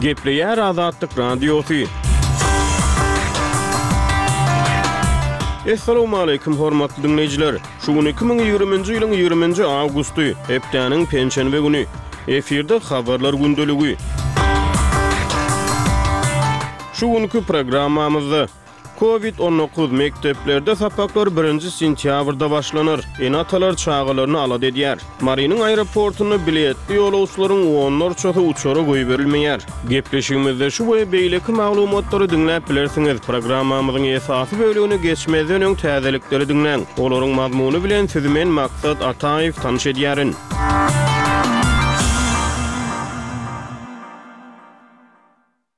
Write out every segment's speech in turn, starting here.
Gepleýär Azatlyk Radiosy. Essalawmaleýkim hormatly diňleýjiler! Şu gün 2020-nji ýylyň 20-nji awgusty, hepdäniň penşenbe güni. Efirde Habarlar gündeligi. Şu günki programmamyzda Covid 19, mekdeplerde sapaklar birinji sentýabrda başlanar, ene-atalar çagalaryny alada edýär. Marynyň aeroportunda biletli ýolagçylaryň onlarçasy uçara goýberilmeýär. Gepleşigimizde şu we beýleki maglumatlary diňläp bilersiňiz. Programmamyzyň esasy bölegine geçmezden öň täzelikleri diňläň. Olaryň mazmuny bilen sizi men Maksat Ataýew tanyş edýärin.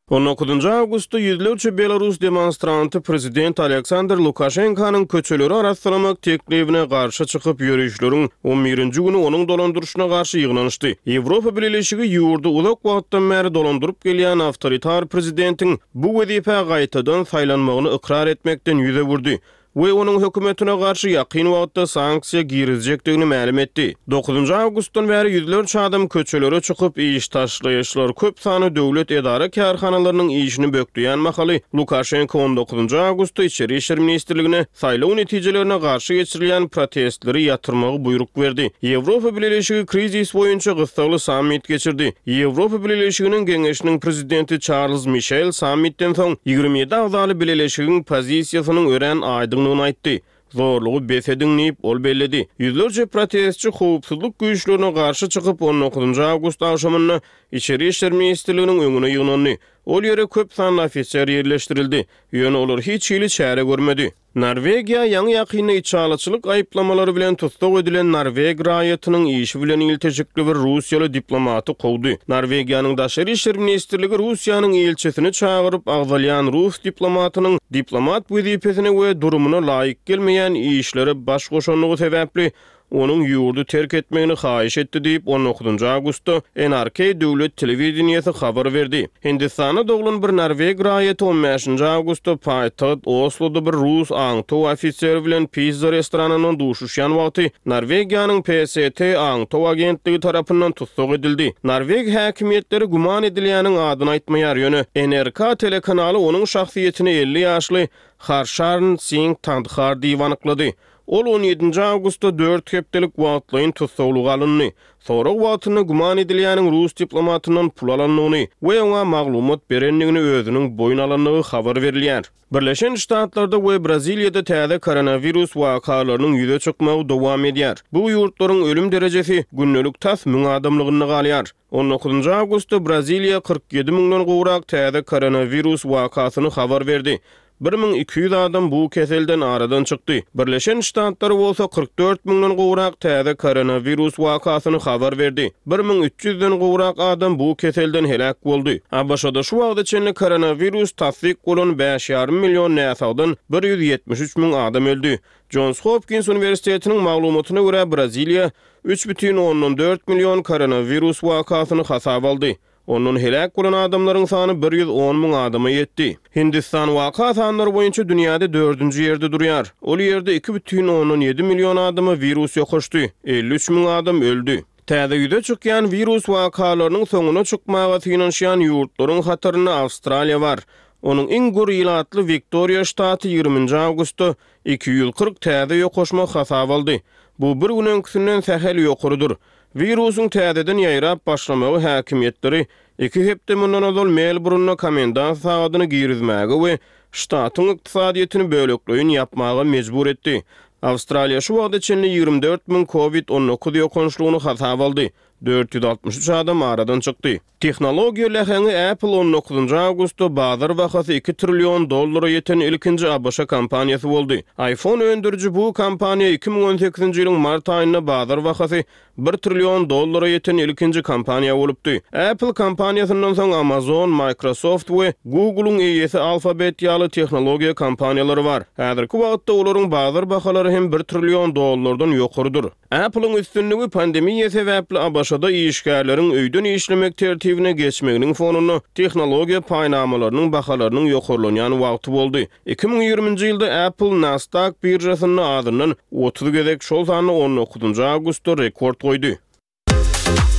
On dokuzynjy awgustda ýüzlerçe belarus demonstranty prezident Aleksandr Lukaşenkanyň köçeleri arassalamak teklibine garşy çykyp, ýörişleriň on birinji güni onuň dolandyryşyna garşy ýygnanyşdy. Ýewropa Bileleşigi ýurdy uzak wagtdan bäri dolandyryp gelýän awtoritar prezidentiň bu wezipä gaýtadan saýlanmagyny ykrar etmekden ýüz öwürdi. we onuň hökümetine garşy ýakyn wagtda sanksiýa girizjekdigini mälim etdi. Dokuzynjy awgustdan bäri ýüzlerçe adam köçelere çykyp, iş taşlaýyşlar köp sanly döwlet edara-kärhanalarynyň işini bökdeýän mahaly, Lukaşenko on dokuzynjy awgustda Içeri işler ministrligine saýlaw netijelerine garşy geçirilýän protestleri ýatyrmagy buýruk berdi. Ýewropa Bileleşigi krizis boýunça gyssagly sammit geçirdi. Ýewropa Bileleşiginiň Geňeşiniň prezidenti Çarlz Mişel sammitden soň 27 agzaly bileleşigiň pozisiýasynyň örän aýdyňdygyny aýtdy. Zorlugy bes ediň diýip, ol belledi. Ýüzlerçe protestçi howpsuzlyk güýçlerine garşy çykyp, on dokuzynjy awgust agşamynda Içeri işler ministrliginiň öňüne ýygnandy. Ol ýere köp sanly ofiser ýerleşdirildi. Ýöne olar hiç hili çäre görmedi. Norwegiýa ýaňy-ýakynda içalyçylyk aýyplamalary bilen tussag edilen norweg raýatynyň işi bilen ilteşikli bir russiýaly diplomaty kowdy. Norwegiýanyň Daşary işler ministrligi Russiýanyň ilçisini çagyryp, agzalýan rus diplomatynyň diplomat wezipesine we durumyna laýyk gelmeýän işlere baş goşandygy sebäpli onuň ýurdy terk etmegini haýyş etdi diýip, on dokuzynjy awgustda NRK döwlet telewideniýesi habar berdi. Hindistanda doglan bir norweg raýaty on bäşinji awgustda paýtagt Osloda bir rus aňtaw ofiseri bilen pizza restoranynda duşuşýan wagty Norwegiýanyň PST aňtaw agentligi tarapyndan tussag edildi. Norweg häkimiýetleri güman edilýäniň adyny aýtmaýar, ýöne NRK telekanaly onuň şahsyýetini 50 ýaşly Harşarn Singh Tandhar diýip anyklady. Ol on ýedinji awgustda dört hepdelik wagtlaýyn tussaglyga alyndy. Sorag wagtynda güman edilýäniň rus diplomatyndan pul alandygyny we oňa maglumat berendigini özüniň boýun alandygy habar berilýär. Birleşen Ştatlarda we Braziliýada täze koronawirus wakalarynyň ýüze çykmagy dowam edýär. Bu ýurtlaryň ölüm derejesi gündelik tas müň adamlygynda galýar. On dokuzynjy awgustda Braziliýa 47 müňden gowrak täze koronawirus wakasyny habar berdi. 1200 adam bu keselden aradan çykdy. Birleşen Ştatlar bolsa 44 müňden gowrak täze koronawirus wakasyny habar berdi. 1300 den gowrak adam bu keselden heläk boldy. ABŞ-da şu wagta çenli koronawirus tassyk bolan bäş ýarym million näsagdan 173 müň adam öldi. Jons Hopkins uniwersitetiniň maglumatyna görä, Braziliýa 3,4 million koronawirus wakasyny hasaba aldy. Ondan heläk bolan adamlaryň sany 110 müň adama ýetdi. Hindistan waka sanlary boýunça dünýäde dördünji ýerde durýar. Ol ýerde 2,7 million adama wirus ýokaşdy, 53 müň adam öldi. Täze ýüze çykýan wirus wakalarynyň soňuna çykmaga synanyşýan ýurtlaryň hatarynda Awstraliýa bar. Onuň iň gür ilatly Wiktoriýa ştaty ýigriminji awgustda 240 täze ýokaşma hasaba aldy. Bu bir gün öňküsinden sähel ýokarydyr. Wirusyň täzeden ýaýrap başlamagy häkimiýetleri iki hepde mundan ozal Melburunda komendant sagadyny girizmäge we ştatyň ykdysadyýetini bölekleýin ýapmaga mejbur etdi. Awstraliýa şu wagta çenli 24 müň Covid 19 ýokançlygyny hasaba aldy, 463 adam aradan çykdy. Tehnologiýa läheňi Apple on dokuzynjy awgustda bazar bahasy iki trillion dollara ýeten ilkinji ABŞ kompaniýasy boldy. iPhone öndüriji bu kompaniýa 2018-nji ýylyň mart aýynda bazar bahasy bir trillion dollara ýeten ilkinji kompaniýa bolupdy. Apple kompaniýasyndan soň Amazon, Microsoft we Google-yň eýesi Alphabet ýaly tehnologiýa kompaniýalary bar. Häzirki wagtda olaryň bazar bahalary hem bir trillion dollardan ýokarydyr. Apple-yň üstünligi pandemiýa sebäpli ABŞ-da işgärleriň öýden işlemek tertibine geçmeginiň fonunda tehnologiýa paýnamalarynyň bahalarynyň ýokarlanýan wagty boldy. 2020-nji ýylda Apple Nasdaq biržasynda azyndan 30 gezek, şol sanda on dokuzynjy awgustda rekord goýdy.